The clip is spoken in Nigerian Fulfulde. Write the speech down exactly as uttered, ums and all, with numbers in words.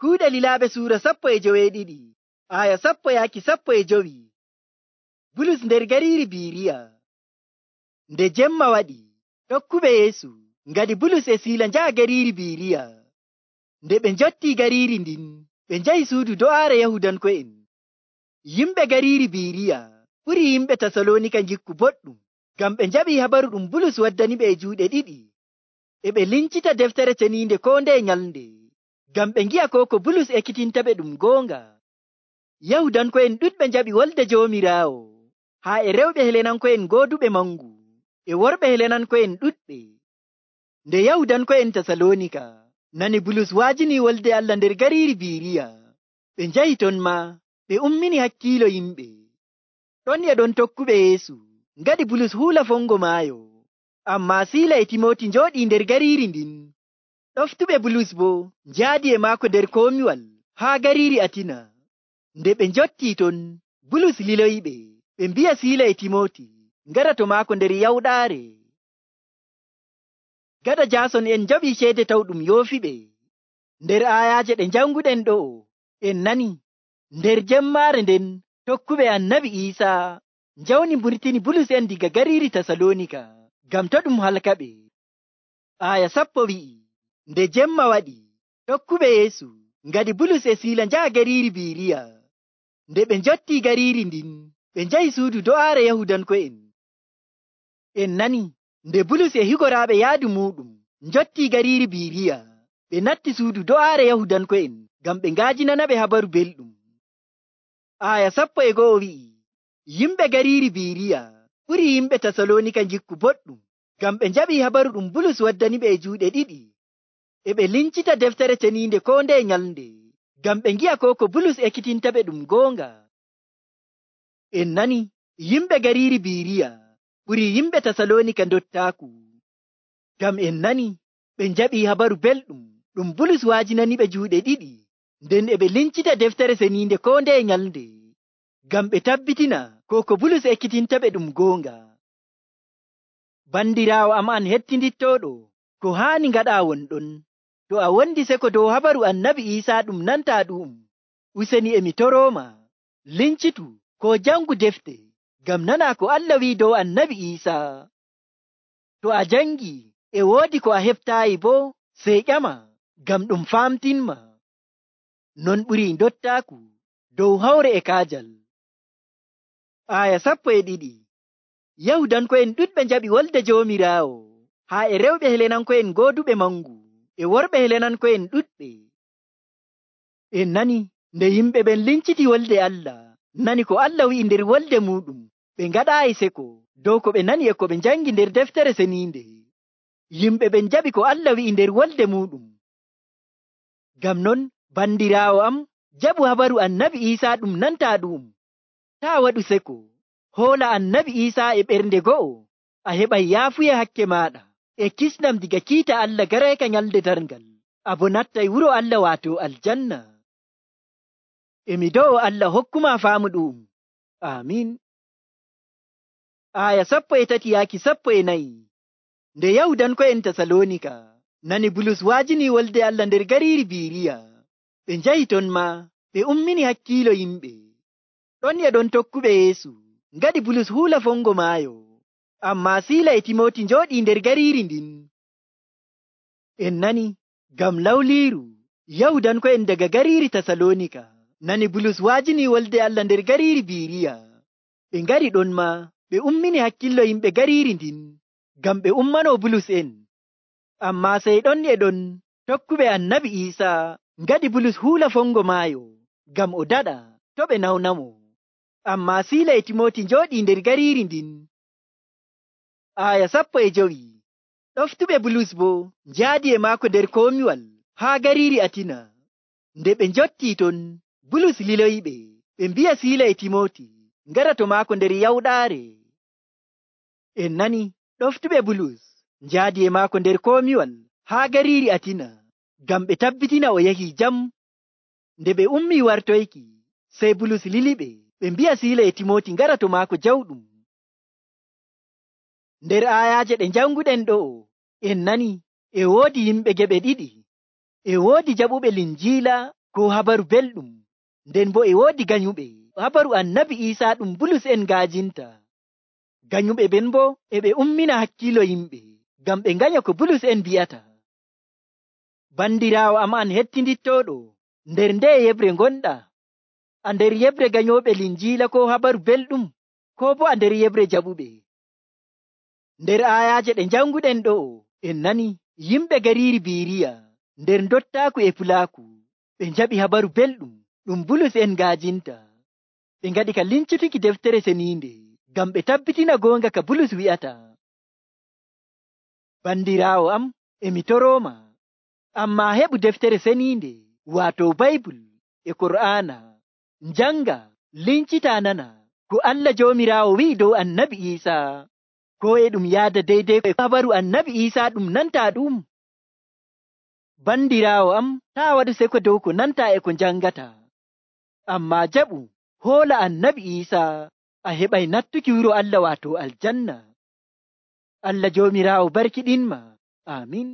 Kuuɗe Lilaaɓe suura sappo e joweeɗiɗi, aya sappo yaaki sappo e jowi. Bulus nder gariiri Biiriya. Nde jemma waɗi, tokkuɓe Yeesu ngadi Bulus e Siila njaha gariiri Biiriya. Nde ɓe njottii gariiri ndin, ɓe njahi suudu do'aare Yahudanko'en. Yimɓe gariiri Biiriya ɓuri yimɓe Tasaloonika njikku boɗɗum, ngam ɓe njaɓii habaru ɗum Bulus waddaniɓe e juuɗe ɗiɗi. E ɓe lincita deftere ceniinde koo ndeye nyalnde, ngam ɓe ngi'a koo ko Bulus ekkitintaɓe ɗum goonga. Yahudanko'en ɗuɗɓe njaɓi wolde Joomiraawo, haa e rewɓe Helenanko'en gooduɓe mangu, e worɓe Helenanko'en ɗuɗɓe. Nde Yahudanko'en Tasaloonika nani Bulus waajini wolde Allah nder gariiri Biiriya, ɓe njahi ton maa ɓe ummini hakkiilo yimɓe. Ɗon e ɗon tokkuɓe Yeesu ngaɗi Bulus huula fongo maayo, ammaa Siila e Timooti njooɗii nder gariiri ndin. Ɗoftuɓe Bulus boo njaadi e maako nder komiwal haa gariiri Atina. Nde ɓe njottii ton, Bulus liloyiɓe, ɓe mbi'a Siila e Timooti ngara to maako nder yawɗaare. Gaɗa Jaason en njaɓii ceede taw ɗum yoofiɓe. Nder aayaaje ɗe njanguɗen ɗo'o, en nani nder jemmaare nden tokkuɓe Annabi Iisaa njawni mburtini Bulus en diga gariiri Tasaloonika ngam to ɗum halkaɓe. Aaya sappo wi'i, nde jemma waɗi, tokkuɓe Yeesu ngadi Bulus e Siila njaha gariiri Biiriya. Nde ɓe njottii gariiri ndin, ɓe njahi suudu do'aare Yahudanko'en. En nani nde Bulus e higoraaɓe yaadu muuɗum njottii gariiri Biiriya, ɓe natti suudu do'aare Yahudanko'en ngam ɓe ngaajinanaɓe habaru belɗum. Aaya sappo e go'o wi'i, yimɓe gariiri Biiriya ɓuri yimɓe Tasaloonika njikku boɗɗum, ngam ɓe njaɓii habaru ɗum Bulus waddaniɓe e juuɗe ɗiɗi. E ɓe lincita deftere ceniinde koo ndeye nyalnde, ngam ɓe ngi'a koo ko Bulus ekkitintaɓe ɗum goonga. En nani yimɓe gariiri Biiriya ɓuri yimɓe Tasaloonika ndottaaku, ngam en nani ɓe njaɓii habaru belɗum ɗum Bulus waajinaniɓe juuɗe ɗiɗi, nden e ɓe lincita deftere ceniinde koo ndeye nyalnde, ngam ɓe tabbitina koo ko Bulus ekkitintaɓe ɗum goonga. Bandiraawo am an hettindittooɗo, ko haani ngaɗaa wonɗon. To a wondi seko dow habaru Annabi Iisaa ɗum nantaa ɗu'um, useni e mi torooma, lincitu koo jangu defte, ngam nanaa ko Allah wi'i dow Annabi Iisaa. To a jangii e woodi ko a heɓtaayi boo, sey ƴama, ngam ɗum faamtinma. Non ɓurii ndottaaku dow hawre e kaajal. Aaya sappo e ɗiɗi. Yahudanko'en ɗuɗɓe njaɓi wolde Joomiraawo, haa e rewɓe Helenanko'en gooduɓe mangu, e worɓe Helenanko'en ɗuɗɓe. En nani nde yimɓe ɓen linciti wolde Allah, nani ko Allah wi'i nder wolde muuɗum, ɓe ngaɗaayi seko dow ko ɓe nani e ko ɓe njangi nder deftere ceniinde. Yimɓe ɓen njaɓi ko Allah wi'i nder wolde muuɗum. Ngam non, bandiraawo am, jaɓu habaru Annabi Iisaa ɗum nantaa ɗu'um. Taa waɗu seko, hoola Annabi Iisaa e ɓernde go'o, a heɓay yaafuya hakke maaɗa e kisnam diga kiita Allah garayka nyalde darngal, a bo nattay wuro Allah waato aljanna. Emi do'o Allah hokkuma faamu ɗu'um. Amiin. Aaya sappo e tati yaaki sappo e nayi. Nde Yahudanko'en Tasaloonika nani Bulus waajini wolde Allah nder gariiri Biiriya, ɓe njahi ton maa ɓe ummini hakkiilo yimɓe. Ɗon e ɗon tokkuɓe Yeesu ngaɗi Bulus huula fongo maayo, ammaa Siila e Timooti njooɗii nder gariiri ndin. En nani ngam lawliiru Yahudanko'en daga gariiri Tasaloonika nani Bulus waajini wolde Allah nder gariiri Biiriya. Ɓe ngari ɗon maa ɓe ummini hakkillo yimɓe gariiri ndin, ngam ɓe ummanoo Bulus en. Ammaa sey ɗon e ɗon tokkuɓe Annabi Iisaa ngaɗi Bulus huula fongo maayo, ngam o daɗa to ɓe nawnamo. Ammaa Siila e Timooti njooɗii nder gariiri ndin. Aaya sappo e jowi. Ɗoftuɓe Bulus boo njaadi e maako nder komiwal haa gariiri Atina. Nde ɓe njottii ton, Bulus liloyiɓe, ɓe mbi'a Siila e Timooti ngara to maako nder yawɗaare. En nani ɗoftuɓe Bulus njaadi e maako nder komiwal haa gariiri Atina, ngam ɓe tabbitina o yahii jam. Nde ɓe ummii wartoyki, sey Bulus liliɓe, ɓe mbi'a Siila e Timooti ngara to maako jawɗum. Nder aayaaje ɗe njanguɗen ɗo'o, en nani e woodi yimɓe geɓe ɗiɗi. E woodi jaɓuɓe Linjiila ko habaru belɗum, nden bo e woodi ganyuɓe habaru annabi Iisaa ɗum Bulus en ngaajinta. Ganyuɓe ɓen bo e ɓe ummina hakkiilo yimɓe ngam ɓe nganya ko Bulus en bi'ata. Bandiraawo am an hettindittooɗo, nder nde yebre ngonɗa? A nder yebre ganyooɓe Linjiila ko habaru belɗum, ko bo a nder yebre jaɓuɓe? Nder aayaaje ɗe njanguɗen ɗo'o en nani yimɓe gariiri Biiriya nder dottaaku e fulaaku ɓe njaɓi habaru belɗum ɗum Bulus en ngaajinta. Ɓe ngaɗi ka lincutuki deftere seniinde ngam ɓe tabbitina goonga ka Bulus wi'ata. Bandiraawo am, emi torooma, ammaa heɓu deftere seniinde waato Baybul e Kur'aana, njanga, lincitaa nana ko Allah Joomiraawo wi'i dow annabi Iisaa, ko e ɗum yaada deydey e habaru annabi Iisaa ɗum nantaa ɗum. Bandiraawo am, taa waɗu seko dow ko nantaa e ko njangata, ammaa jaɓu hoola annabi Iisaa, a heɓay nattuki wuro Allah waato aljanna. Allah Joomiraawo barkiɗinma. Aamin.